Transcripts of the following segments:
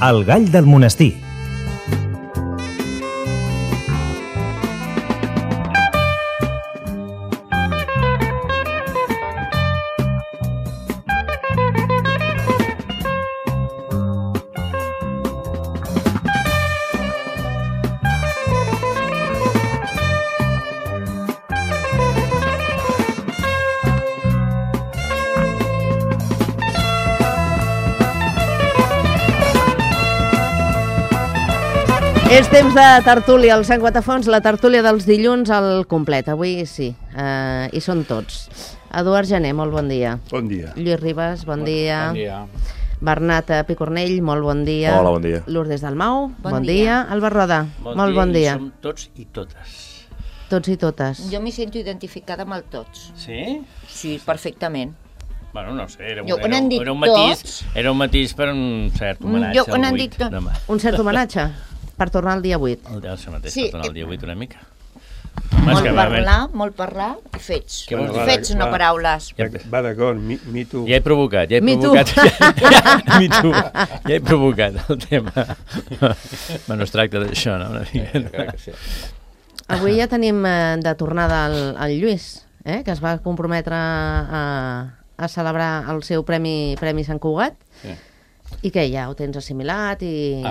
El gall del monestir. És temps de tertúlia, al Sant Guatafons, la tertúlia dels dilluns al complet. Avui sí, hi són tots. Eduard Gené, molt bon dia. Bon dia. Lluís Ribas, bon dia. Bon dia. Bernat Picornell, molt bon dia. Hola, bon dia. Lourdes Dalmau, bon dia. Albert Roda, molt bon dia. Som tots i totes. Tots i totes. Jo m'hi sento identificada amb el tots. Sí? Sí, perfectament. Bueno, no sé, era un matís per un cert homenatge Jo quan al han 8 dit demà. Un cert homenatge per tornar al dia 8. Això mateix, Sí. per tornar al dia 8 una mica. Molt parlar i fets. Què vols dir? Fets, no paraules. Va d'acord, me too. Ja he provocat, Me too. Me too. Ja he provocat el tema. Bueno, es tracta d'això, no? Una mica. Avui ja tenim de tornada el Lluís, que es va comprometre a celebrar el seu Premi Sant Cugat. Sí. I què, ja ho tens assimilat i...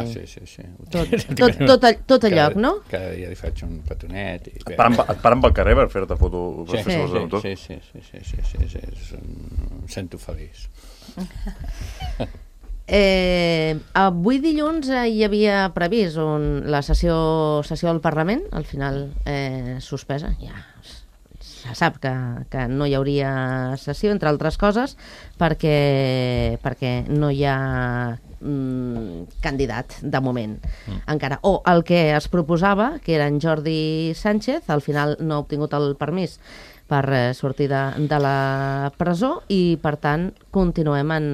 Sí. Tot a lloc, no? Cada dia li faig un petonet. Et Et paren pel carrer per fer-te foto. Sí, Sí. em sento feliç. Avui dilluns hi havia previst la sessió del Parlament, al final suspesa, ja se sap que no hi hauria sessió, entre altres coses, perquè no hi ha candidat de moment encara, o el que es proposava, que era en Jordi Sánchez, al final no ha obtingut el permís per sortir de la presó i per tant continuem en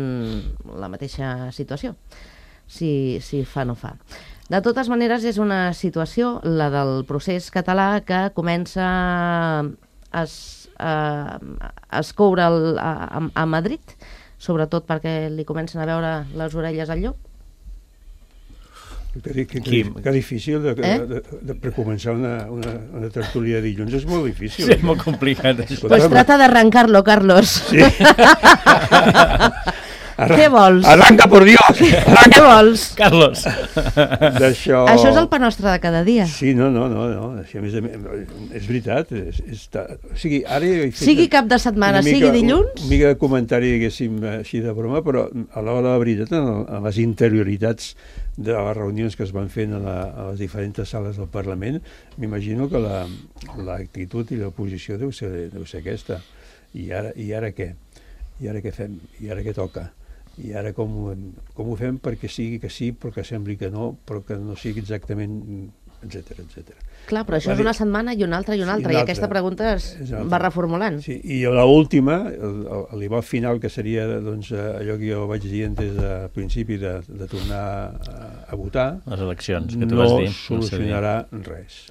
la mateixa situació, si fa no fa. De totes maneres és una situació, la del procés català, que comença a escoure a Madrid, sobretot perquè li comencen a veure les orelles al llop. Que difícil de precomençar una tertúlia de dilluns, és molt difícil. Sí, és molt complicat. Pues trata de arrancarlo, Carlos. Sí. Què vols? Arranca, por Dios! Què vols? Carlos. D'això... Això és el pa nostre de cada dia. Sí, no. Així, a més, és veritat. O sigui, ara he fet sigui cap de setmana, sigui dilluns... Una mica de comentari, diguéssim, així de broma, però a l'hora de la veritat, a les interioritats de les reunions que es van fent a les diferents sales del Parlament, m'imagino que l'actitud i la posició deu ser aquesta. I ara què? I ara què fem? I ara què toca? I ara com ho fem perquè sigui que sí, però que sembli que no, però que no sigui exactament, etc. Clar, però això és una setmana i una altra, i aquesta pregunta es va reformulant. Sí, i l'última, l'ibal final, que seria allò que jo vaig dir des del principi de tornar a votar, les eleccions que tu vas dir, no solucionarà res.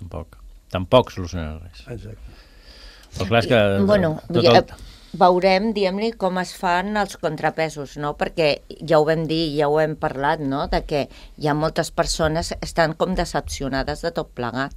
Tampoc solucionarà res. Exacte. Però clar, és que... Bueno, veurem, diguem-li, com es fan els contrapesos, no? Perquè ja ho vam dir, ja ho hem parlat, no? De que hi ha moltes persones que estan com decepcionades de tot plegat.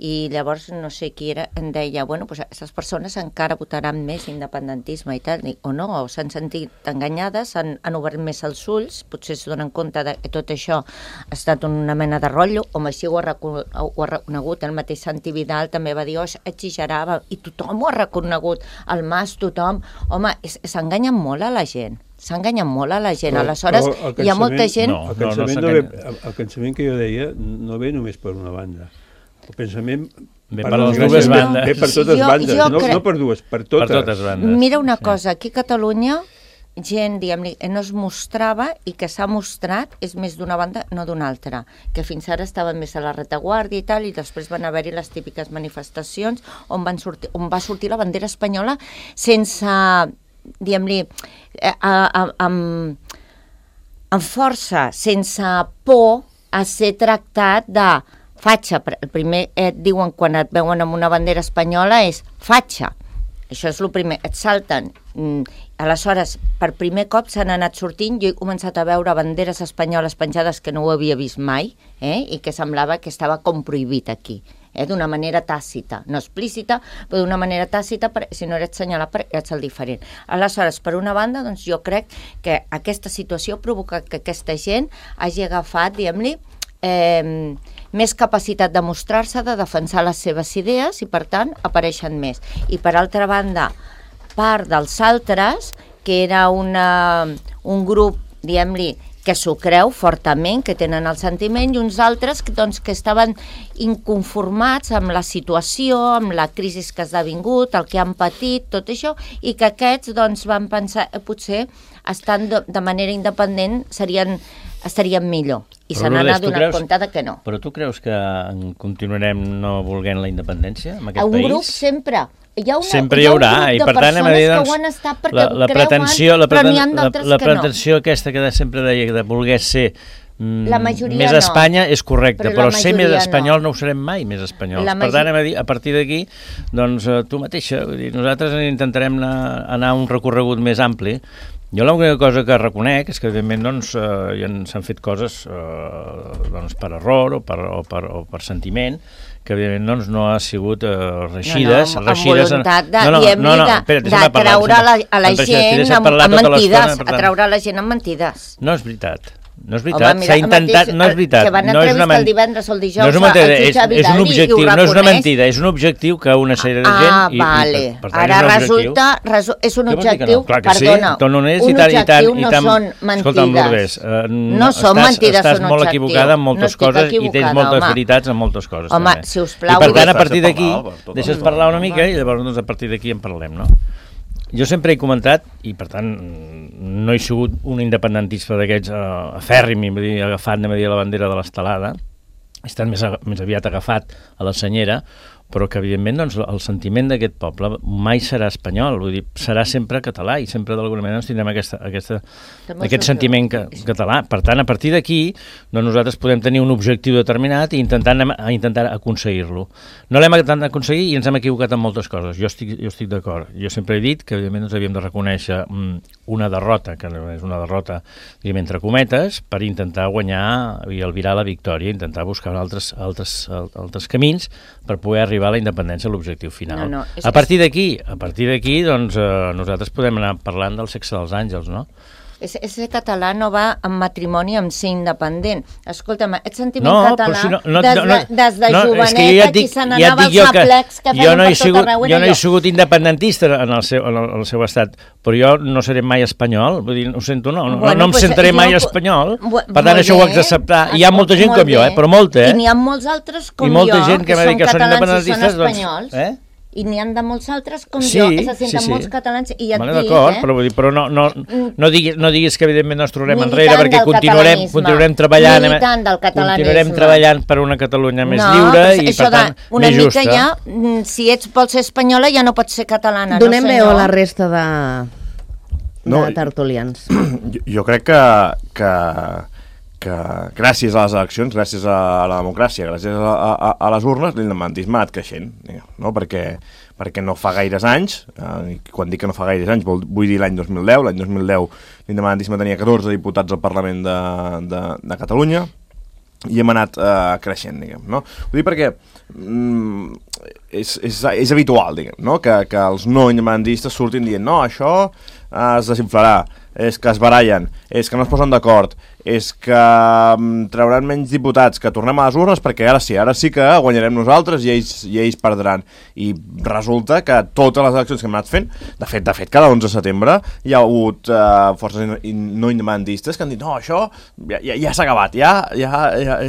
I llavors no sé qui era, em deia, bueno, pues aquestes persones encara votaran més independentisme i tal, o no, o s'han sentit enganyades, han obert més els ulls, potser es donen compte que tot això ha estat una mena de rotllo, home, així ho ha reconegut, el mateix Santi Vidal també va dir, exagerava, i tothom ho ha reconegut, el Mas, tothom, home, s'enganyen molt a la gent. S'enganyen molt a la gent, aleshores hi ha molta gent... El cansament que jo deia no ve només per una banda. El pensament ve per les dues bandes. Ve per totes bandes, no per dues, per totes bandes. Mira una cosa, aquí a Catalunya gent, diguem-li, no es mostrava i que s'ha mostrat és més d'una banda, no d'una altra, que fins ara estaven més a la retaguardia i tal, i després van haver-hi les típiques manifestacions on va sortir la bandera espanyola sense, diguem-li, amb força, sense por a ser tractat de fatxa. El primer et diuen quan et veuen amb una bandera espanyola és fatxa. Això és el primer. Et salten. Aleshores, per primer cop s'han anat sortint. Jo he començat a veure banderes espanyoles penjades que no ho havia vist mai, i que semblava que estava com prohibit aquí. D'una manera tàcita, no explícita, però d'una manera tàcita, si no eres senyalat, ets el diferent. Aleshores, per una banda, doncs jo crec que aquesta situació provoca que aquesta gent hagi agafat, diguem-li, més capacitat de mostrar-se, de defensar les seves idees i, per tant, apareixen més. I, per altra banda, part dels altres, que era un grup, diguem-li, que s'ho creu fortament, que tenen el sentiment, i uns altres que estaven inconformats amb la situació, amb la crisi que ha esdevingut, el que han patit, tot això, i que aquests van pensar potser estant de manera independent estarien millor. I se n'han adonat compte que no. Però tu creus que continuarem no volent la independència en aquest país? Un grup sempre. Sempre hi haurà, i per tant hem de dir, la pretensió aquesta que sempre deia de voler ser més Espanya és correcte, però ser més espanyol no ho serem mai més espanyols. Per tant, hem de dir, a partir d'aquí, doncs tu mateixa, nosaltres intentarem anar a un recorregut més ampli. Jo l'única cosa que reconec és que, evidentment, s'han fet coses per error o per sentiment, que evidentment no ha sigut reixides. Amb voluntat de traure a la gent amb mentides. A traure la gent amb mentides. No és veritat. No és veritat, s'ha intentat, no és veritat. Que van entrevistar el divendres o el dijous al jutge Vidal i ho reconeix. No és una mentida, és un objectiu que una sèrie de gent... vale. Ara resulta, és un objectiu, perdona, un objectiu no són mentides. No són mentides, són estàs molt equivocada en moltes coses i tens moltes veritats en moltes coses. Home, sisplau. I per tant, a partir d'aquí, deixes parlar una mica i llavors a partir d'aquí en parlem, no? Jo sempre he comentat, i per tant no he sigut un independentista d'aquests afèrrim, agafat la bandera de l'estelada, he estat més aviat agafat a la senyera, però que evidentment el sentiment d'aquest poble mai serà espanyol, vull dir, serà sempre català i sempre d'alguna manera tindrem aquest sentiment català. Per tant, a partir d'aquí, nosaltres podem tenir un objectiu determinat i intentar aconseguir-lo. No l'hem aconseguit i ens hem equivocat en moltes coses, jo estic d'acord. Jo sempre he dit que evidentment ens havíem de reconèixer una derrota, que és una derrota, diguem, entre cometes, per intentar guanyar i albirar la victòria, intentar buscar altres camins per poder arribar a la independència, a l'objectiu final. A partir d'aquí, doncs, nosaltres podem anar parlant del sexe dels àngels, no? Ser català no va en matrimoni amb ser independent. Escolta'm, aquest sentiment català, des de joveneta, qui se n'anava als aplecs que feien per tot arreu. Jo no he sigut independentista en el seu estat, però jo no seré mai espanyol, vull dir, ho sento, no em sentaré mai espanyol, per tant això ho haig d'acceptar. Hi ha molta gent com jo, però molta, I n'hi ha molts altres com jo, que són catalans i són espanyols. I n'hi ha de molts altres com jo, se senten molts catalans i ja et dic, d'acord, però no diguis que evidentment no ens trobarem enrere, perquè continuarem treballant per una Catalunya més lliure i per tant més justa. Ja, si vols ser espanyola ja no pots ser catalana. Donem veu a la resta de tertulians. Jo crec que gràcies a les eleccions, gràcies a la democràcia, gràcies a les urnes, l'independentisme ha anat creixent, no? Perquè no fa gaires anys, quan dic que no fa gaires anys vull dir l'any 2010, l'independentisme tenia 14 diputats al Parlament de Catalunya i hem anat creixent, diguem, no? Ho dic perquè és habitual, diguem, no? Que els no independentistes surtin dient no, això es desinflarà, és que es barallen, és que no es posen d'acord, és que trauran menys diputats, que tornem a les urnes perquè ara sí que guanyarem nosaltres i ells perdran. I resulta que totes les eleccions que hem anat fent, de fet cada 11 de setembre hi ha hagut forces no independentistes que han dit no, això ja s'ha acabat,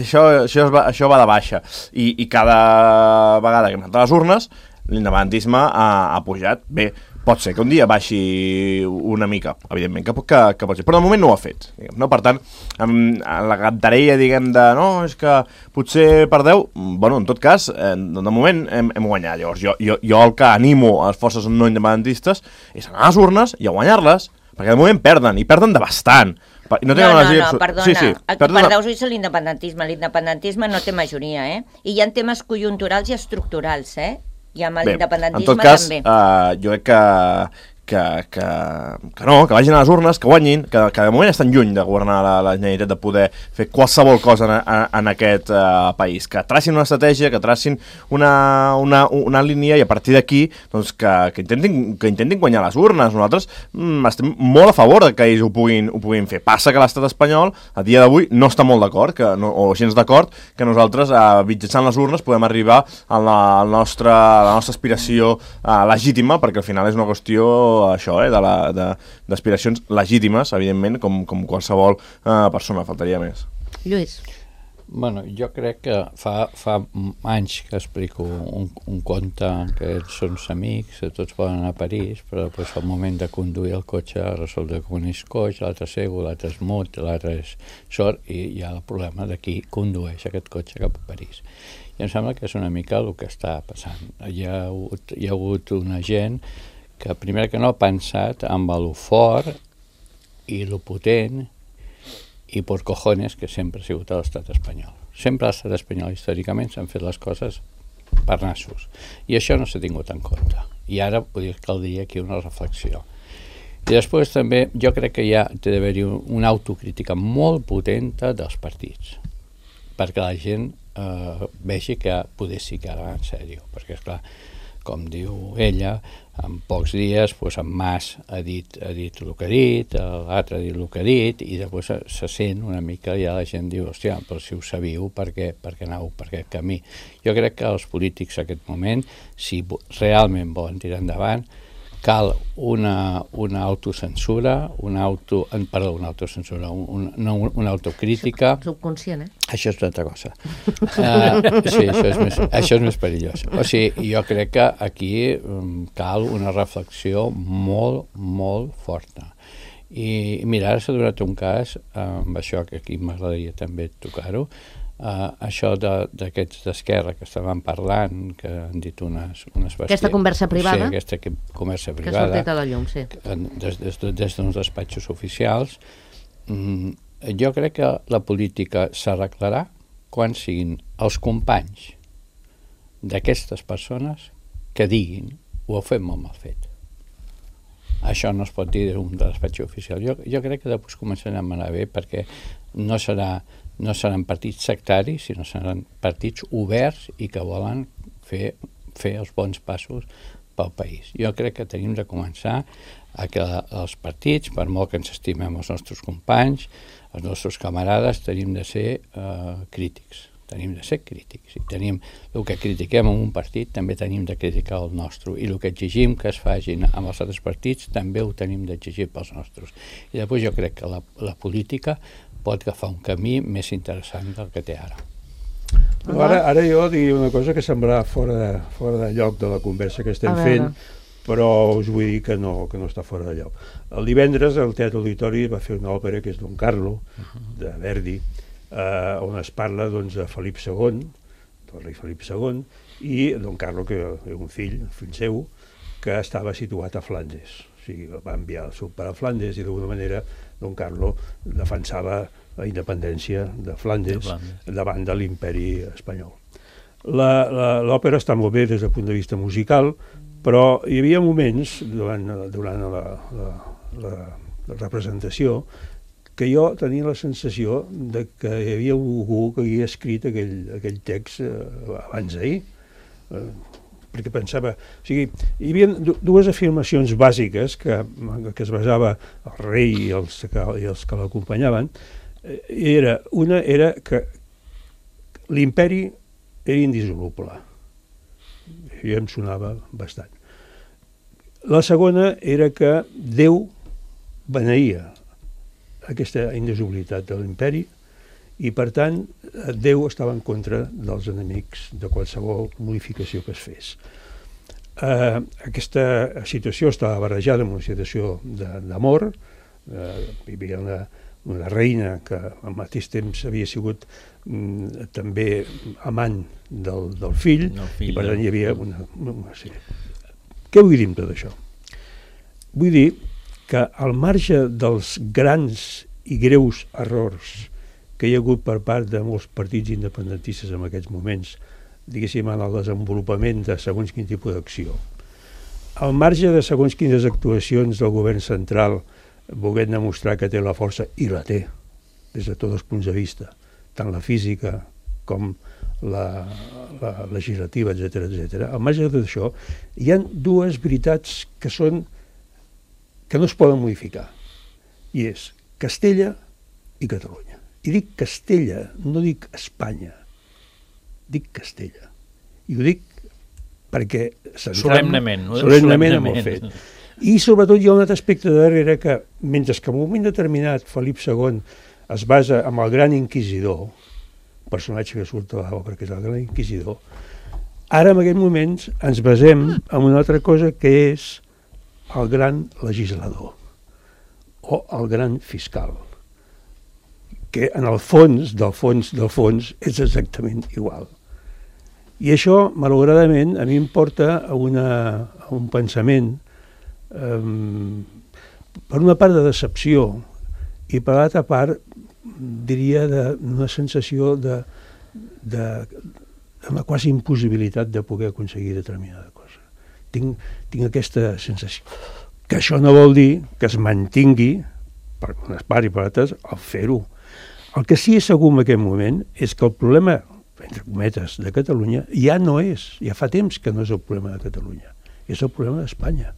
això va de baixa. I cada vegada que hem anat a les urnes l'independentisme ha pujat. Bé, pot ser que un dia baixi una mica, evidentment, que pot ser, però de moment no ho ha fet. Diguem, no? Per tant, la cantarella, diguem, de no, és que potser perdeu, bueno, en tot cas, de moment hem guanyat. Llavors, jo el que animo a les forces no independentistes és anar a les urnes i a guanyar-les, perquè de moment perden, i perden de bastant. No, perdona, el que perdeu és l'independentisme. L'independentisme no té majoria, I hi ha temes conjunturals i estructurals, I amb l'independentisme en tot cas, també. Jo crec que no, que vagin a les urnes, que guanyin, que de moment estan lluny de governar la Generalitat, de poder fer qualsevol cosa en aquest país, que tracin una estratègia, que tracin una línia, i a partir d'aquí doncs, que intentin guanyar les urnes. Nosaltres estem molt a favor que ells ho puguin fer. Passa que l'estat espanyol a dia d'avui no està molt d'acord, o gens d'acord, que nosaltres mitjançant les urnes podem arribar a la nostra aspiració legítima, perquè al final és una qüestió això, d'aspiracions legítimes, evidentment, com qualsevol persona, faltaria més. Lluís. Bueno, jo crec que fa anys que explico un conte que ells són amics, tots poden anar a París, però després al moment de conduir el cotxe resulta que un és coix, l'altre cego, l'altre és mut, l'altre és sord, i hi ha el problema de qui condueix aquest cotxe cap a París. I em sembla que és una mica el que està passant. Hi ha hagut una gent que primer que no ha pensat amb lo fort i lo potent i por cojones que sempre ha sigut l'estat espanyol. Sempre l'estat espanyol històricament s'han fet les coses per nassos. I això no s'ha tingut en compte. I ara caldria aquí una reflexió. I després també jo crec que té d'haver-hi una autocrítica molt potenta dels partits, perquè la gent vegi que poder sí que ara en sèrio, perquè esclar, com diu ella, en pocs dies en Mas ha dit el que ha dit, l'altre ha dit el que ha dit, i després se sent una mica, ja la gent diu, hòstia, però si ho sabíeu, per què aneu per aquest camí? Jo crec que els polítics en aquest moment, si realment volen tirar endavant, cal una autocensura, una autocrítica. Subconscient, Això és una altra cosa. Sí, això és més perillós. O sigui, jo crec que aquí cal una reflexió molt, molt forta. I mira, ara s'ha donat un cas, amb això que aquí m'agradaria també tocar-ho, això d'aquests d'Esquerra que estaven parlant, que han dit unes besties. Aquesta conversa privada. Sí, aquesta conversa privada. Que ha sortit a la llum, sí. Des d'uns despatxos oficials. Jo crec que la política s'arreglarà quan siguin els companys d'aquestes persones que diguin ho heu fet molt mal fet. Això no es pot dir d'un despatx oficial. Jo crec que després començarem a anar bé, perquè no seran partits sectaris, sinó seran partits oberts i que volen fer els bons passos pel país. Jo crec que tenim de començar a que els partits, per molt que ens estimem els nostres companys, els nostres camarades, tenim de ser crítics. Tenim de ser crítics. El que critiquem en un partit també tenim de criticar el nostre, i el que exigim que es facin amb els altres partits també ho tenim d'exigir pels nostres. I després jo crec que la política pot agafar un camí més interessant del que té ara. Ara jo diria una cosa que semblarà fora de lloc de la conversa que estem fent, però us vull dir que no està fora de lloc. El divendres el Teatre Auditori va fer una òpera que és Don Carlo, de Verdi, on es parla de Felip II, del rei Felip II, i Don Carlo, que és un fill seu, que estava situat a Flandes. O sigui, va enviar el seu pare a Flandes, i d'alguna manera Don Carlo defensava la independència de Flandes davant de l'imperi espanyol. L'òpera està molt bé des del punt de vista musical, però hi havia moments durant la representació que jo tenia la sensació de que hi havia algú que havia escrit aquell text abans d'ahir, perquè pensava... O sigui, hi havia dues afirmacions bàsiques que es basava el rei i els que l'acompanyaven. Una era que l'imperi era indissoluble. Això em sonava bastant. La segona era que Déu beneïa aquesta indissolubilitat de l'imperi, i per tant Déu estava en contra dels enemics de qualsevol modificació que es fes. Aquesta situació estava barrejada amb una situació d'amor. Hi havia una reina que al mateix temps havia sigut també amant del fill, i per tant hi havia Què vull dir amb tot això? Vull dir que al marge dels grans i greus errors que hi ha hagut per part de molts partits independentistes en aquests moments diguéssim, en el desenvolupament de segons quin tipus d'acció. Al marge de segons quines actuacions del govern central volent demostrar que té la força, i la té, des de tots els punts de vista, tant la física com la legislativa, etc. Al marge de tot això, hi ha dues veritats que no es poden modificar, i és Castella i Catalunya. I dic Castella, no dic Espanya, dic Castella. I ho dic perquè... Solemnement amb el fet. I sobretot hi ha un altre aspecte darrere que, mentre que en un moment determinat Felip II es basa en el gran inquisidor, personatge que surt a l'obra, que és el gran inquisidor, ara en aquests moments ens basem en una altra cosa que és el gran legislador o el gran fiscal, que en el fons, del fons, és exactament igual. I això, malauradament, a mi em porta a un pensament, per una part de decepció i per l'altra part, diria, d'una sensació d'una quasi impossibilitat de poder aconseguir determinada cosa. Tinc aquesta sensació. Que això no vol dir que es mantingui, per unes parts i per altres, el fer-ho. El que sí és segur en aquest moment és que el problema, entre cometes, de Catalunya ja no és, ja fa temps que no és el problema de Catalunya, és el problema d'Espanya.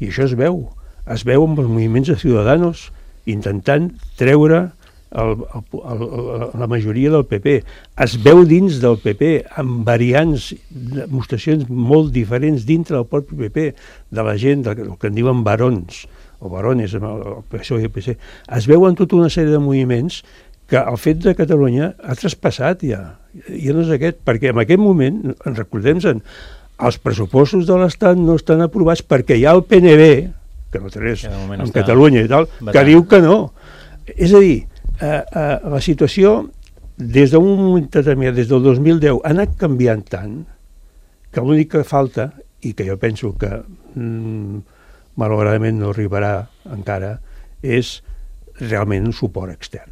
I això es veu amb els moviments de Ciudadanos intentant treure la majoria del PP. Es veu dins del PP, amb variants, demostracions molt diferents dintre del propi PP, de la gent, del que en diuen barons, o barones, el PSOE i el PC. Es veuen tota una sèrie de moviments que el fet de Catalunya ha traspassat ja no és aquest, perquè en aquest moment, recordem-se'n, els pressupostos de l'Estat no estan aprovats perquè hi ha el PNB, que no té res en Catalunya i tal, que diu que no. És a dir, la situació des d'un moment determinat, des del 2010, ha anat canviant tant que l'únic que falta, i que jo penso que malauradament no arribarà encara, és realment un suport extern.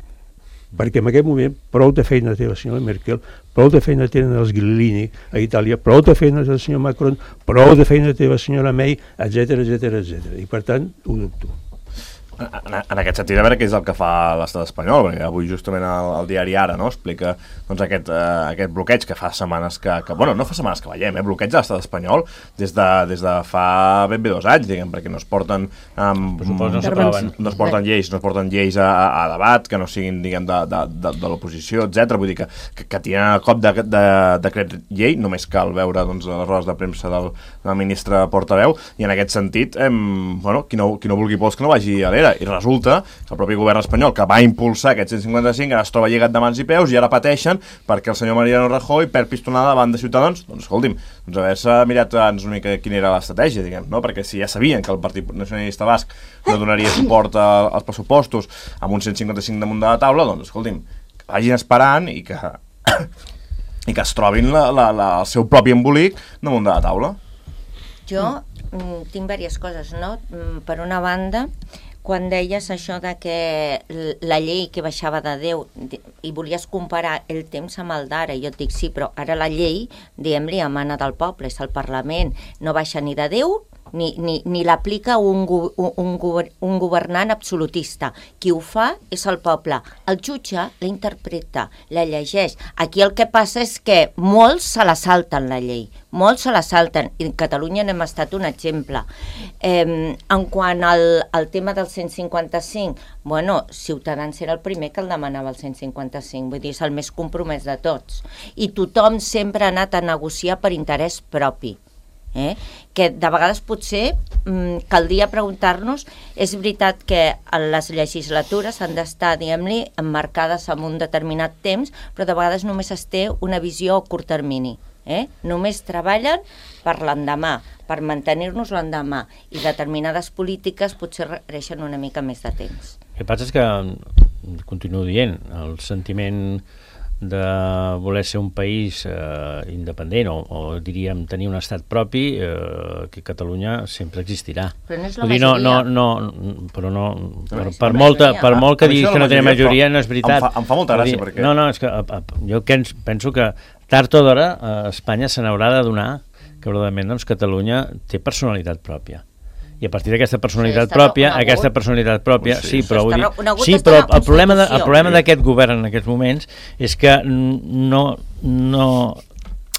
Perquè en aquest moment prou de feina té la senyora Merkel, prou de feina tenen els Grillini a Itàlia, prou de feina té el senyor Macron, prou de feina té la senyora May, etc. I per tant, ho dubto. En aquest sentit, a veure què és el que fa l'estat espanyol, perquè avui justament el diari Ara explica doncs, aquest bloqueig que fa setmanes bueno, no fa setmanes que veiem, bloqueig de l'estat espanyol des de fa ben bé 2 anys, diguem, perquè no es porten no es porten lleis a debat, que no siguin, diguem, de l'oposició, etc. Vull dir que tenen el cop de decret llei, només cal veure doncs, les rodes de premsa del ministre portaveu, i en aquest sentit, bueno, qui no vulgui pols que no vagi a l'era. I resulta que el propi govern espanyol, que va impulsar aquest 155, ara es troba lligat de mans i peus i ara pateixen perquè el senyor Mariano Rajoy perd pistonada davant de Ciutadans. Doncs escolti'm, haver-se mirat abans una mica quina era l'estratègia, diguem, no? Perquè si ja sabien que el Partit Nacionalista Basc no donaria suport als pressupostos amb un 155 damunt de la taula, doncs escolti'm, que vagin esperant i que es trobin el seu propi embolic damunt de la taula. Jo tinc diverses coses, no? Per una banda, quan deies això de que la llei que baixava de 10 i volies comparar el temps amb el d'ara, jo et dic sí, però ara la llei, diguem-li, emana del poble, és el Parlament, no baixa ni de 10 ni l'aplica un governant absolutista. Qui ho fa és el poble. El jutge la interpreta, la llegeix. Aquí el que passa és que molts se la salten, la llei. Molts se la salten. I en Catalunya n'hem estat un exemple. En quant al tema del 155, bueno, Ciutadans era el primer que el demanava el 155, vull dir, és el més compromès de tots. I tothom sempre ha anat a negociar per interès propi. Que de vegades potser caldria preguntar-nos, és veritat que les legislatures han d'estar, diguem-li, emmarcades en un determinat temps, però de vegades només es té una visió a curt termini. Només treballen per l'endemà, per mantenir-nos l'endemà, i determinades polítiques potser requereixen una mica més de temps. El que passa és que, continuo dient, el sentiment de voler ser un país independent o diríem tenir un estat propi, que Catalunya sempre existirà. Però no és la majoria. Però per molt que diguis que no té majoria, no és veritat. Em fa molta gràcia perquè... No, és que jo penso que tard o d'hora Espanya se n'haurà de donar que probablement doncs, Catalunya té personalitat pròpia. I a partir d'aquesta personalitat pròpia, sí, però vull dir, sí, però el problema d'aquest govern en aquests moments és que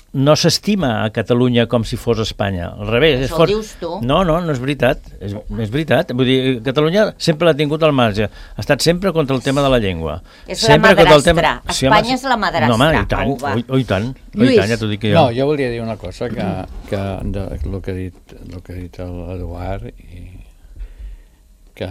no s'estima a Catalunya com si fos Espanya. Al revés. Això ho dius tu. No és veritat. És veritat. Vull dir, Catalunya sempre l'ha tingut al marge. Ha estat sempre contra el tema de la llengua. És la madrastra. Espanya és la madrastra. No, home, i tant. Ja t'ho dic jo. No, jo volia dir una cosa que el que ha dit l'Eduard, que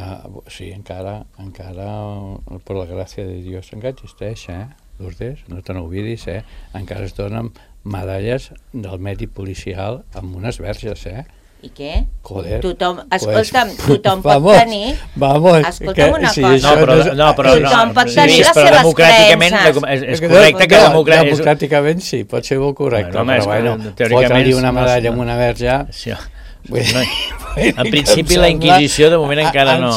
sí, encara per la gràcia de Dios encara existeix, Lourdes, no te n'oblidis, encara es donen medalles del mèrit policial amb unes verges, I què? Joder. Tothom pot tenir... Escolta'm una cosa. Tothom pot tenir les seves creences. És correcte que democràticament sí, pot ser molt correcte, però fotre-li una medalla amb una verge... En principi la Inquisició de moment encara no.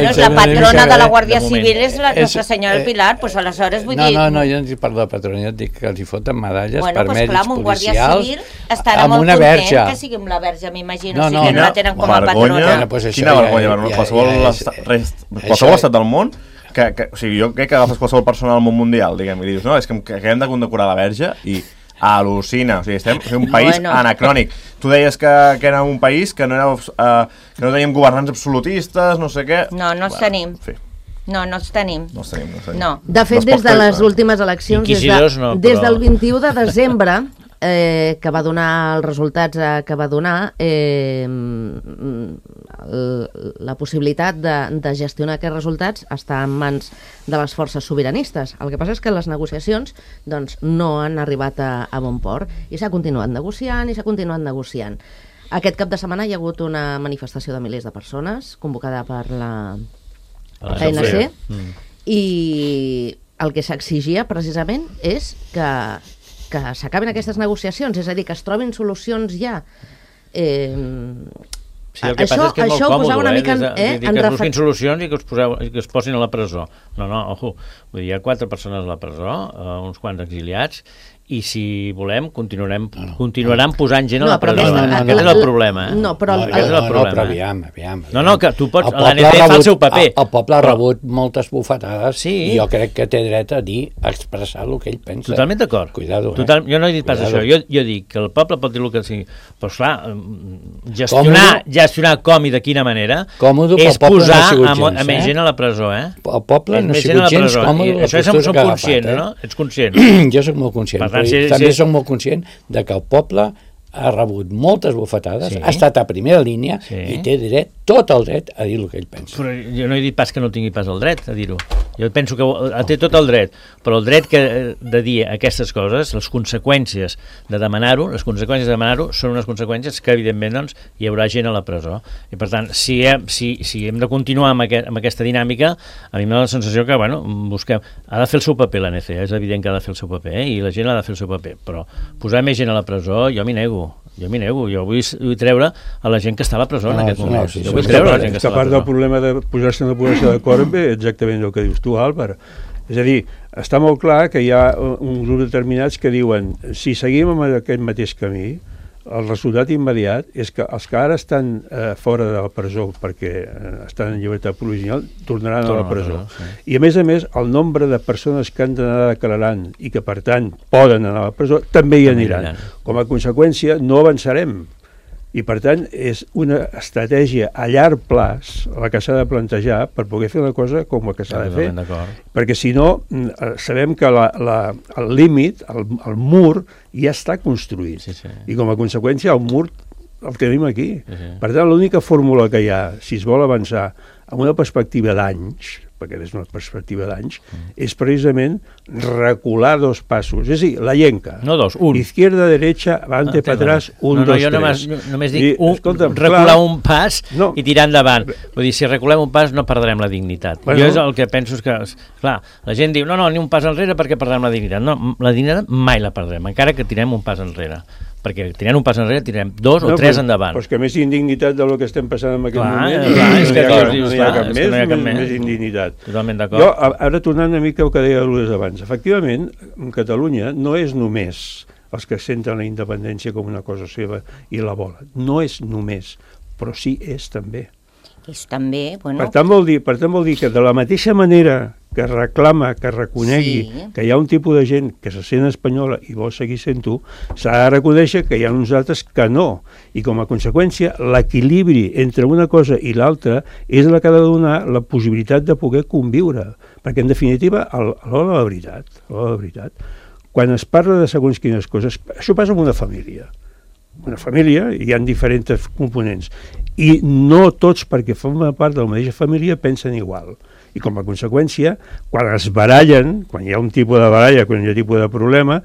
És la patrona de la Guàrdia Civil, és la Nostra Senyora del Pilar, doncs aleshores vull dir... No, jo no dic per la patrona, jo dic que els hi foten medalles per mèrits policials Guàrdia Civil estarà molt content que sigui amb la verge, m'imagino, si que no la tenen com a patrona. Quina vergonya, qualsevol estat del món, o sigui, jo crec que agafes qualsevol persona del món mundial, diguem, i dius, no, és que hem de condecorar la verge i al·lucina, o sigui, estem un país anacrònic. Tu deies que era un país que no teníem governants absolutistes, no sé què... No els tenim. No els tenim. De fet, des de les últimes eleccions, des del 21 de desembre, que va donar els resultats que va donar, la possibilitat de gestionar aquests resultats està en mans de les forces sobiranistes. El que passa és que les negociacions no han arribat a bon port i s'ha continuat negociant. Aquest cap de setmana hi ha hagut una manifestació de milers de persones convocada per la ANC i el que s'exigia precisament és que s'acabin aquestes negociacions, és a dir, que es trobin solucions ja. Sí, el que passa és que és molt còmode, que es busquin solucions i que es posin a la presó. No, ojo, vull dir, hi ha 4 persones a la presó, uns quants exiliats, i si volem continuaran posant gent a la presó. Aquest és el problema. No, però aviam. No, que tu pots... L'ANC fa el seu paper. El poble ha rebut moltes bufetades i jo crec que té dret a expressar el que ell pensa. Totalment d'acord. Cuidado, jo no he dit pas això. Jo dic que el poble pot dir el que sigui. Però, esclar, gestionar com i de quina manera és posar a més gent a la presó, El poble no ha sigut gens còmode la postura que ha agafat. No? Ets conscient? Jo soc molt conscient. També soc molt conscient de que el poble ha rebut moltes bufetades, ha estat a primera línia i té tot el dret a dir el que ell pensa. Però jo no he dit pas que no tingui pas el dret a dir-ho. Jo penso que té tot el dret, però el dret de dir aquestes coses, les conseqüències de demanar-ho, són unes conseqüències que evidentment hi haurà gent a la presó. I per tant, si hem de continuar amb aquesta dinàmica, a mi m'ha la sensació que, ha de fer el seu paper l'ANC, és evident que ha de fer el seu paper, i la gent ha de fer el seu paper, però posar més gent a la presó, jo m'hi nego. Jo vull treure a la gent que està a la presó en aquest moment. Jo vull treure a la gent que està a la presó. Part del problema de posar-se en una posició d'acord ve exactament el que dius tu, Àlvar. És a dir, està molt clar que hi ha un grup determinats que diuen si seguim amb aquest mateix camí, el resultat immediat és que els que ara estan fora de la presó perquè estan en llibertat provisional tornaran a la presó. I a més, el nombre de persones que han d'anar declarant i que per tant poden anar a la presó també hi aniran. Com a conseqüència no avançarem. I per tant és una estratègia a llarg plaç la que s'ha de plantejar per poder fer una cosa com la que s'ha de fer. Perquè si no, sabem que el límit, el mur, ja està construït. I com a conseqüència el mur el tenim aquí. Per tant, l'única fórmula que hi ha, si es vol avançar amb una perspectiva d'anys, perquè és una perspectiva d'anys, és precisament recular 2 passos. És a dir, la llenca. No 2, 1. Izquierda, derecha, avante, para atrás, 1, 2, 3. Jo només dic recular un pas i tirar endavant. Vull dir, si reculem un pas no perdrem la dignitat. Jo és el que penso que... Clar, la gent diu, no, ni un pas enrere perquè perdrem la dignitat. No, la dignitat mai la perdrem, encara que tirem un pas enrere. perquè tirant un pas enrere tirem 2 o 3 endavant. Però és que més indignitat del que estem passant en aquest moment, és que no hi ha cap més indignitat. Totalment d'acord. Jo, ara tornant una mica al que deia Lourdes abans, efectivament, Catalunya no és només els que senten la independència com una cosa seva i la volen. No és només, però sí és també. És també, bueno... Per tant vol dir que de la mateixa manera que reclama, que reconegui que hi ha un tipus de gent que se sent espanyola i vol seguir sent-ho, s'ha de reconèixer que hi ha uns altres que no. I com a conseqüència, l'equilibri entre una cosa i l'altra és la que ha de donar la possibilitat de poder conviure. Perquè, en definitiva, a l'hora de la veritat, quan es parla de segons quines coses, això passa amb una família. Una família, hi ha diferents components, i no tots, perquè formen part de la mateixa família, pensen igual. I com a conseqüència, quan es barallen, quan hi ha un tipus de baralla, quan hi ha un tipus de problema,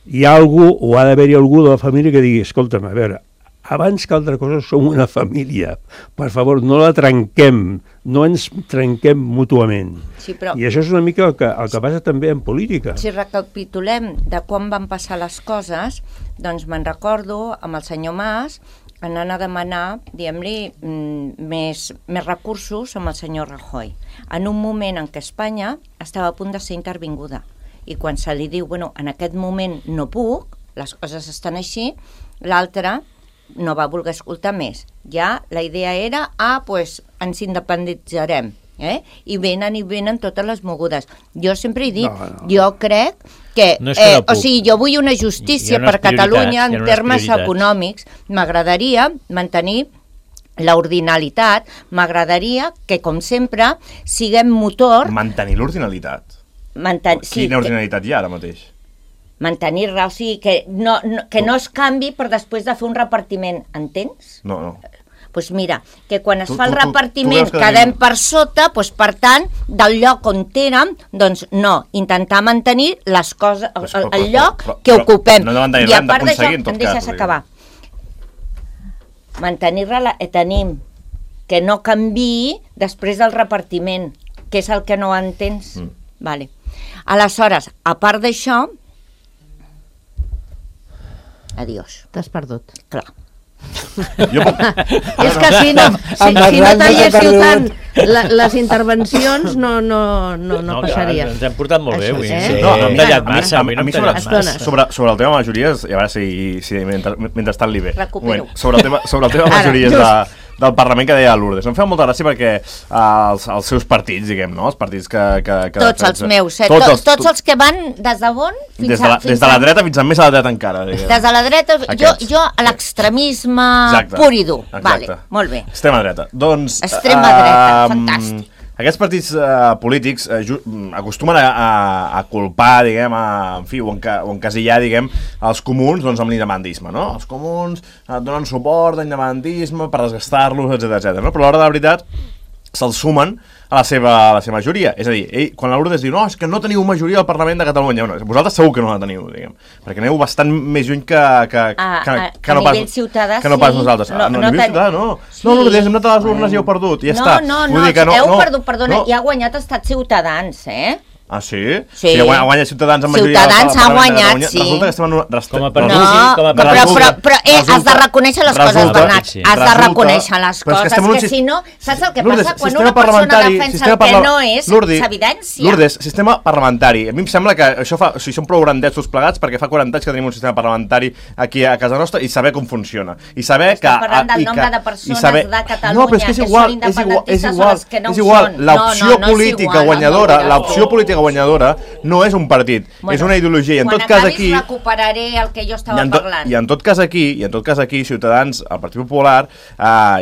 hi ha algú, o ha d'haver-hi algú de la família que digui, escolta'm, a veure, abans que altra cosa som una família, per favor, no la trenquem, no ens trenquem mútuament. Sí, però... I això és una mica el que passa també en política. Si recapitulem de quan van passar les coses, doncs me'n recordo amb el senyor Mas anant a demanar, diguem-li, més recursos amb el senyor Rajoy, en un moment en què Espanya estava a punt de ser intervinguda. I quan se li diu, bueno, en aquest moment no puc, les coses estan així, l'altre no va voler escoltar més. Ja la idea era, pues ens independitzarem. I venen totes les mogudes. Jo sempre he dit, jo crec que, o sigui, jo vull una justícia per Catalunya en termes econòmics. M'agradaria mantenir l'ordinalitat, m'agradaria que, com sempre, siguem motor... Mantenir l'ordinalitat? Quina ordinalitat hi ha ara mateix? Mantenir-la, o sigui, que no es canvi per després de fer un repartiment, entens? No. Doncs mira, que quan es fa el repartiment quedem per sota, doncs per tant, del lloc on érem, doncs no, intentar mantenir les coses, el lloc que ocupem. I a part d'això, em deixes acabar. Mantenir-la tenim, que no canviï després del repartiment, que és el que no entens. Vale. Aleshores, a part d'això, adiós. T'has perdut. Clar. És que si no talléssiu tant les intervencions no passaria. Ens hem portat molt bé avui. No, hem tallat massa. A mi sobre el tema majories, i a veure si mentrestant li ve. Recupero. Sobre el tema majories del Parlament que deia Lourdes. Em feia molta gràcia perquè els seus partits, diguem, no? Els partits que tots els meus, tots els que van des de on? Des de la dreta fins a més a la dreta encara. Des de la dreta, jo a l'extremisme pur i dur. Vale, molt bé. Extrema dreta. Doncs... Extrema dreta, fantàstic. Aquests partits polítics acostumen a culpar, diguem, o encasillar, diguem, els comuns amb l'independisme, no? Els comuns donen suport a l'independentisme per desgastar-los, etc. No? Però a l'hora de la veritat se'ls sumen a la seva majoria. És a dir, quan la Lourdes diu no, és que no teniu majoria al Parlament de Catalunya, vosaltres segur que no la teniu, diguem, perquè aneu bastant més lluny que no pas nosaltres. A nivell ciutadà, no. No, Lourdes, hem anat a les urnes i heu perdut, i ja està. No, heu perdut, perdona, i ha guanyat Estat Ciutadans, Ah, sí? Sí. Ha guanyat Ciutadans amb majoria. Ciutadans ha guanyat, sí. Resulta que estem en però has de reconèixer les coses, Bernat. Has de reconèixer les coses, que si no, saps el que passa? Quan una persona defensa el que no és, s'evidència. Lourdes, sistema parlamentari. A mi em sembla que això fa... O sigui, som prou grandets tots plegats perquè fa 40 anys que tenim un sistema parlamentari aquí a casa nostra i saber com funciona. I saber que... Estem parlant del nombre de persones de Catalunya que són independentistes o les que no ho són. És igual, l'opció política guanyadora, l'opció política guanyadora no és un partit, és una ideologia. I en tot cas aquí recuperaré el que jo estava parlant. I en tot cas aquí Ciutadans, el Partit Popular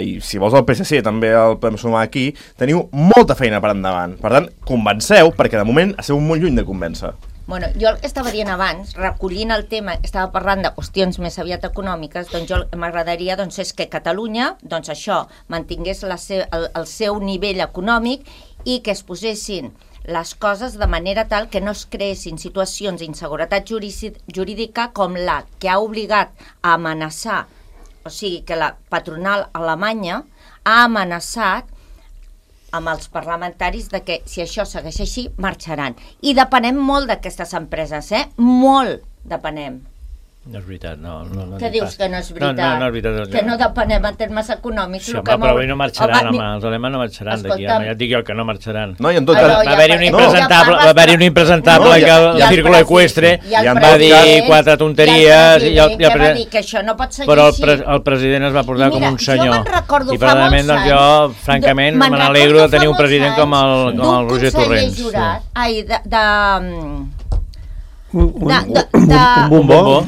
i si vols el PSC també el podem sumar aquí, teniu molta feina per endavant. Per tant, convenceu, perquè de moment esteu molt lluny de convèncer. Bueno, jo el que estava dient abans, recollint el tema, estava parlant de qüestions més aviat econòmiques, doncs jo m'agradaria és que Catalunya, doncs això, mantingués el seu nivell econòmic i que es posessin les coses de manera tal que no es creessin situacions d'inseguretat jurídica com la que ha obligat a amenaçar, o sigui, que la patronal alemanya ha amenaçat amb els parlamentaris de que si això segueix així, marxaran. I depenem molt d'aquestes empreses, molt depenem. No és veritat, no. Què dius que no és veritat? No és veritat. Que no depenem en termes econòmics. Sí, home, però avui no marxaran, els alemanys no marxaran d'aquí, ja et dic jo que no marxaran. No, i en tot cas... Va haver-hi un impresentable que el Círculo Ecuestre va dir 4 tonteries... Ja va dir que això no pot seguir així. Però el president es va portar com un senyor. Jo me'n recordo fa molts anys... Jo, francament, me n'alegro de tenir un president com el Roger Torrents. D'un conseller jurat... Un bombó.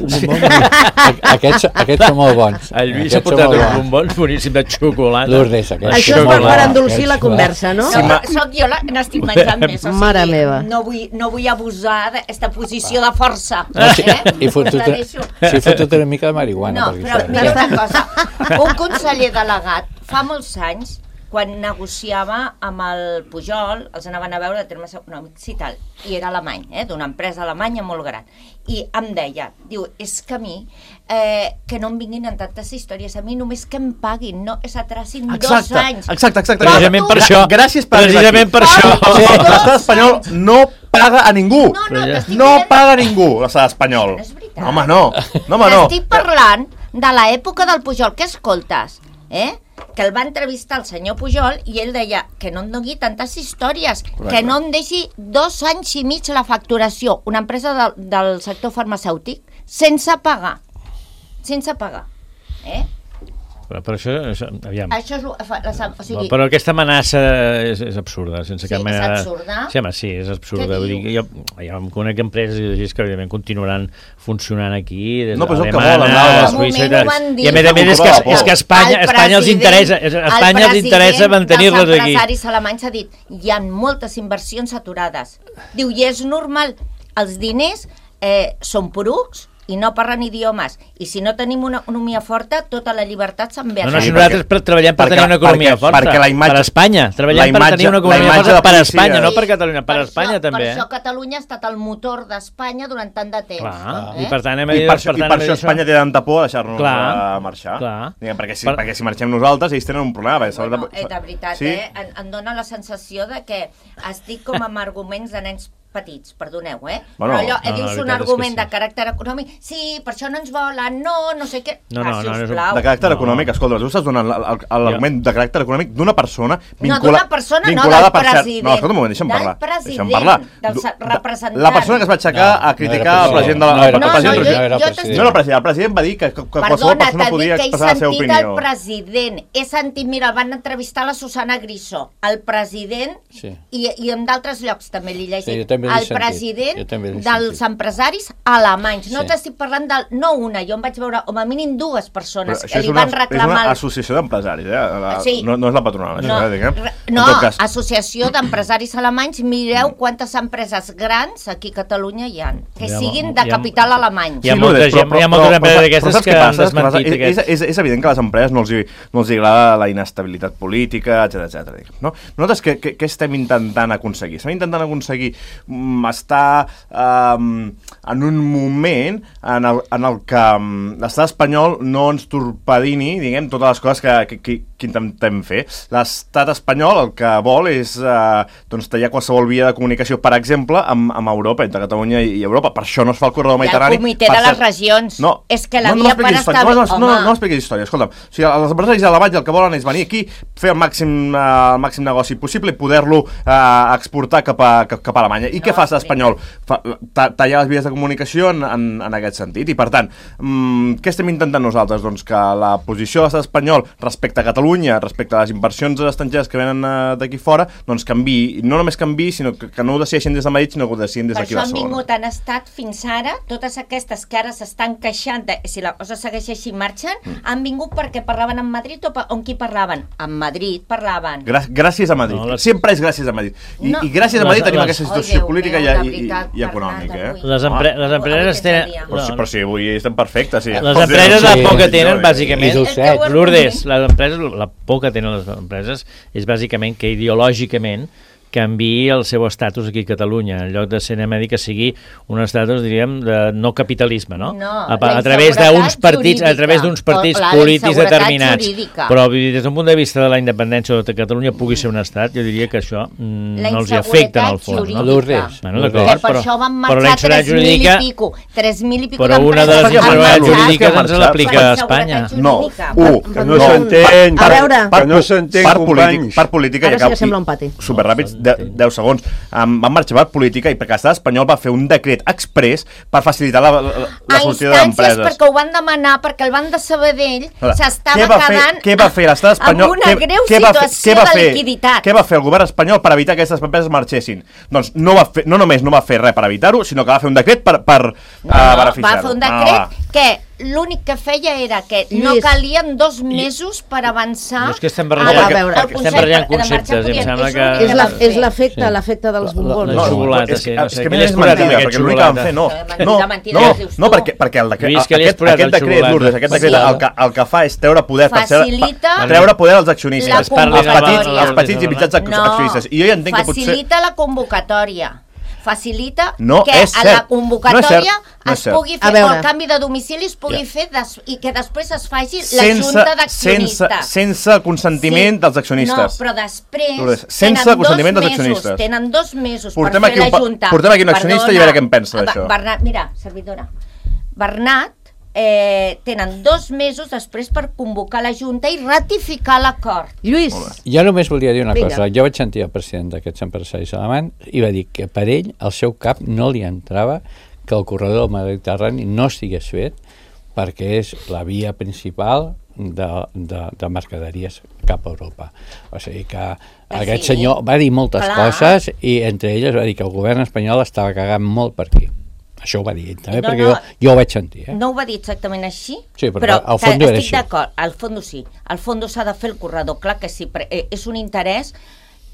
Aquests són molt bons. El Lluís ha portat uns bombons boníssims de xocolata. Lourdes, això és per endolcir la conversa, no? Soc jo n'estic menjant més. Mare meva. No vull abusar d'aquesta posició de força. I fotut una mica de marihuana. No, però mira una cosa. Un conseller delegat fa molts anys, quan negociava amb el Pujol, els anaven a veure de termes econòmics i tal, i era alemany, d'una empresa alemanya molt gran, i em deia, diu, és que a mi, que no em vinguin en tantes històries, a mi només que em paguin, no es atracin 2 anys. Exacte. Precisament per això. Gràcies per això. L'estat espanyol no paga a ningú. No paga a ningú, l'estat espanyol. No és veritat. Home, no. Estic parlant de l'època del Pujol, que escoltes, que el va entrevistar el senyor Pujol i ell deia que no em doni tantes històries, que no em deixi 2 anys i mig la facturació, una empresa del sector farmacèutic, sense pagar. Però això, aviam. Això és, o sigui, però aquesta amenaça és absurda, sense cap mena... És absurda? Sí, home, sí, és absurda. Vull dir, jo em conec empreses que evidentment continuaran funcionant aquí, des d'Alemanya, Suïssa... I a més és que a Espanya els interessa mantenir-les aquí. Els empresaris alemanys ha dit, hi ha moltes inversions aturades. Diu, i és normal, els diners són porucs, i no parlen idiomes, i si no tenim una economia forta, tota la llibertat se'n ve a si nosaltres treballem per tenir una economia forta, per Espanya, treballem per tenir una economia forta per Espanya, no per Catalunya, per Espanya també. Per això Catalunya ha estat el motor d'Espanya durant tant de temps. I per això Espanya té tanta por a deixar-nos marxar. Perquè si marxem nosaltres, ells tenen un problema. De veritat, em dóna la sensació de que estic com amb arguments de nens petits, perdoneu, però allò, dius un argument de caràcter econòmic, sí, per això no ens volen, no sé què, sisplau. De caràcter econòmic, escolta, tu estàs donant l'argument de caràcter econòmic d'una persona vinculada del president. No, escolta un moment, deixa'm parlar. Del president, del representant. La persona que es va aixecar a criticar el president de la... No, el president va dir que qualsevol persona podia expressar la seva opinió. Perdona, t'he dit que he sentit el president, he sentit, mira, el van entrevistar la Susana Griso, el president, i en d'altres llocs també l'he llegit, el president dels empresaris alemanys. No t'estic parlant no una, jo em vaig veure com a mínim 2 persones que li van reclamar... És una associació d'empresaris, no és la patronal. No, associació d'empresaris alemanys, mireu quantes empreses grans aquí a Catalunya hi ha, que siguin de capital alemany. Hi ha moltes empreses d'aquestes que han desmentit aquest... És evident que a les empreses no els agrada la inestabilitat política, etc. Nosaltres què estem intentant aconseguir? Estem intentant aconseguir estar en un moment en el que l'estat espanyol no ens torpedini, diguem, totes les coses que intentem fer. L'estat espanyol el que vol és tallar qualsevol via de comunicació, per exemple, amb Europa, entre Catalunya i Europa. Per això no es fa el corredor mediterrani. I el comitè de les regions. És que la via per estar... No expliquis història, escolta'm. O sigui, els empresaris alemanys el que volen és venir aquí, fer el màxim negoci possible i poder-lo exportar cap a Alemanya. I què fa l'estat espanyol? Tallar les vies de comunicació en aquest sentit. I, per tant, què estem intentant nosaltres? Doncs que la posició de l'estat espanyol respecte a Catalunya, respecte a les inversions estrangeres que venen d'aquí fora, doncs canviï. No només canviï, sinó que no ho decideixin des de Madrid, sinó que ho decidin des d'aquí a Barcelona. Per això han estat fins ara, totes aquestes que ara s'estan queixant, si la cosa segueix així marxen, han vingut perquè parlaven en Madrid o on qui parlaven? En Madrid parlaven. Gràcies a Madrid. Sempre és gràcies a Madrid. I gràcies a Madrid tenim aquesta situació política i econòmica. Les empreses tenen... Però si avui estem perfectes. Les empreses la por que tenen, bàsicament... Lourdes, la por que tenen les empreses és bàsicament que ideològicament canviï el seu estatus aquí a Catalunya, en lloc de ser que sigui un estatus, diríem, de no capitalisme, no? A través d'uns partits, polítics determinats. Però des d'un punt de vista de la independència de Catalunya pugui ser un estat, jo diria que això no els afecta en el fons. Per això van marxar 3.000 i pico. 3.000 i pico però una de les inseguretats jurídiques ens l'aplica a Espanya. No, que no s'entén, que no s'entén, companys. Part política, ara sí que sembla un pati. Superràpids, 10 segons. Van marxar part política i perquè l'estat espanyol va fer un decret exprés per facilitar la sortida d'empreses. Perquè ho van demanar, perquè el banc de Sabadell s'estava quedant què va fer l'estat espanyol? Amb una greu situació de liquiditat. Què va fer el govern espanyol per evitar que aquestes empreses marxessin? Doncs no només no va fer res per evitar-ho, sinó que va fer un decret per beneficiar-ho. Va fer un decret que l'únic que feia era que no calien 2 mesos per avançar. No és que estem barrejant conceptes, em sembla que... És l'efecte dels bombons. No, xocolata, és que és mentida, perquè l'únic que van fer, no, perquè aquest decret, Lourdes, el que fa és treure poder als accionistes, als petits i mitjans accionistes. I jo ja entenc que potser... Facilita la convocatòria. Facilita que a la convocatòria es pugui fer, o el canvi de domicili es pugui fer i que després es faci la junta d'accionistes. Sense el consentiment dels accionistes. No, però després tenen 2 mesos per fer la junta. Portem aquí un accionista i a veure què en pensa d'això. Bernat, mira, servidora, Bernat, tenen 2 mesos després per convocar la Junta i ratificar l'acord. Lluís. Jo només volia dir una cosa. Jo vaig sentir el president d'aquests empresaris alemanys i va dir que per ell, al seu cap, no li entrava que el corredor del Mediterrani no estigués fet perquè és la via principal de mercaderies cap a Europa. O sigui que aquest senyor va dir moltes coses i entre elles va dir que el govern espanyol estava cagant molt per aquí. Això ho va dir també, perquè jo ho vaig sentir. No ho va dir exactament així, sí, però al fons era així. Estic d'acord, al fons sí. Al fons s'ha de fer el corredor, clar que sí, és un interès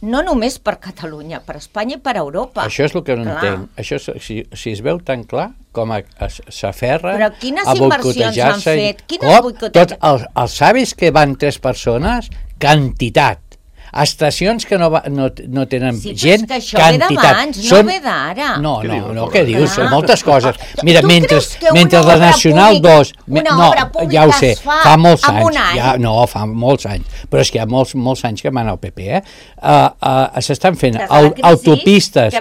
no només per Catalunya, per Espanya i per Europa. Això és el que no entenc. Això, si es veu tan clar com s'aferra a boicotejar-se... Però quines inversions han fet? Tots els savis que van 3 persones, quantitat. Estacions que no tenen gent, quantitat. Sí, però és que això ve d'abans, no ve d'ara. No, què dius? Són moltes coses. Mira, mentre la Nacional 2... No, ja ho sé, fa molts anys. No, fa molts anys. Però és que hi ha molts anys que van al PP, s'estan fent autopistes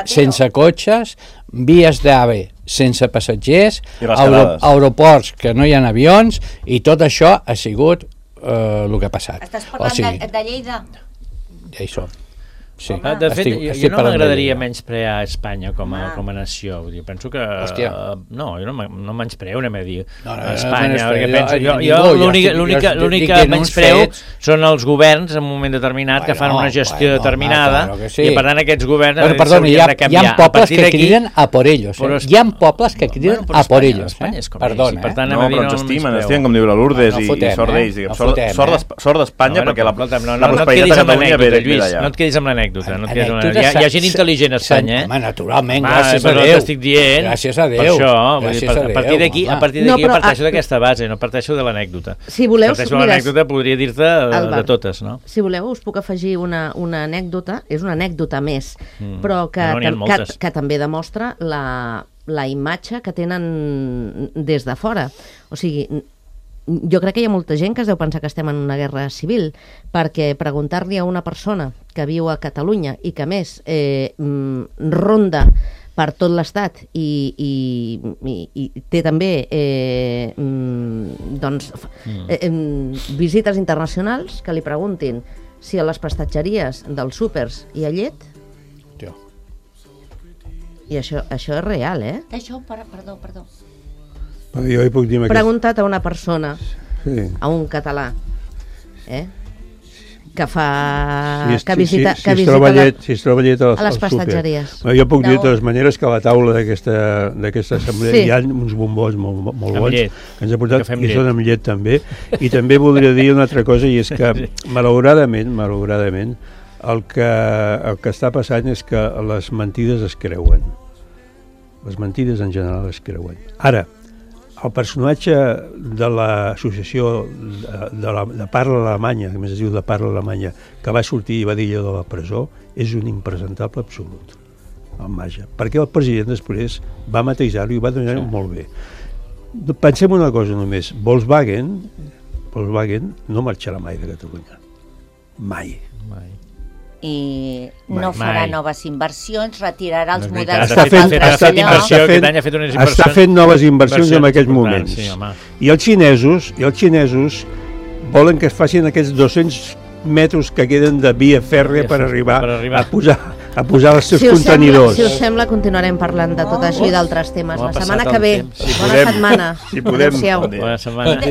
sense cotxes, vies d'AVE sense passatgers, aeroports que no hi ha avions, i tot això ha sigut el que ha passat. Estàs parlant de Lleida? Ja hi som. Sí. De fet, jo no m'agradaria menysprear Espanya com a nació. Vull dir, penso que... No, jo no menyspreo, anem a dir Espanya, perquè penso... L'únic que menyspreo són els governs en un moment determinat que fan una gestió determinada i per tant aquests governs s'haurien de canviar. Hi ha pobles que criden a por ellos. Hi ha pobles que criden a por ellos. Perdona. No, però ens estimen, com diu la Lourdes, i sort d'ells. Sort d'Espanya, perquè la prosperitat de Catalunya ve d'allà. No et quedis amb l'anècdota. Hi ha gent intel·ligent a Espanya, Home, naturalment, gràcies a Déu. T'estic dient. Gràcies a Déu. Per això, a partir d'aquí parteixo d'aquesta base, no parteixo de l'anècdota. Si voleu, parteixo de l'anècdota, podria dir-te de totes, no? Si voleu, us puc afegir una anècdota, és una anècdota més, però que també demostra la imatge que tenen des de fora. O sigui, jo crec que hi ha molta gent que es deu pensar que estem en una guerra civil, perquè preguntar-li a una persona que viu a Catalunya i que a més ronda per tot l'estat i té també visites internacionals, que li preguntin si a les prestatgeries dels súpers hi ha llet. I això és real, Això, perdó. Jo hi puc dir... Preguntat a una persona, a un català, que visita a les prestatgeries. Jo puc dir de totes maneres que a la taula d'aquesta assemblea hi ha uns bombons molt bons que ens ha portat, i són amb llet també. I també voldria dir una altra cosa, i és que malauradament el que està passant és que les mentides es creuen. Les mentides en general es creuen. Ara, el personatge de l'associació de parla alemanya, que més es diu de parla alemanya, que va sortir i va dir allò de la presó, és un impresentable absolut, el Maja, perquè el president després va matisar-ho i va donar molt bé. Pensem una cosa només, Volkswagen no marxarà mai de Catalunya, mai. I no farà noves inversions, retirarà els models està fent noves inversions en aquests moments. I els xinesos volen que es facin aquests 200 metres que queden de via fèrrea per arribar a posar els seus contenidors. Si us sembla, continuarem parlant de tot això i d'altres temes. La setmana que ve. Bona setmana. Si podem. Bona setmana.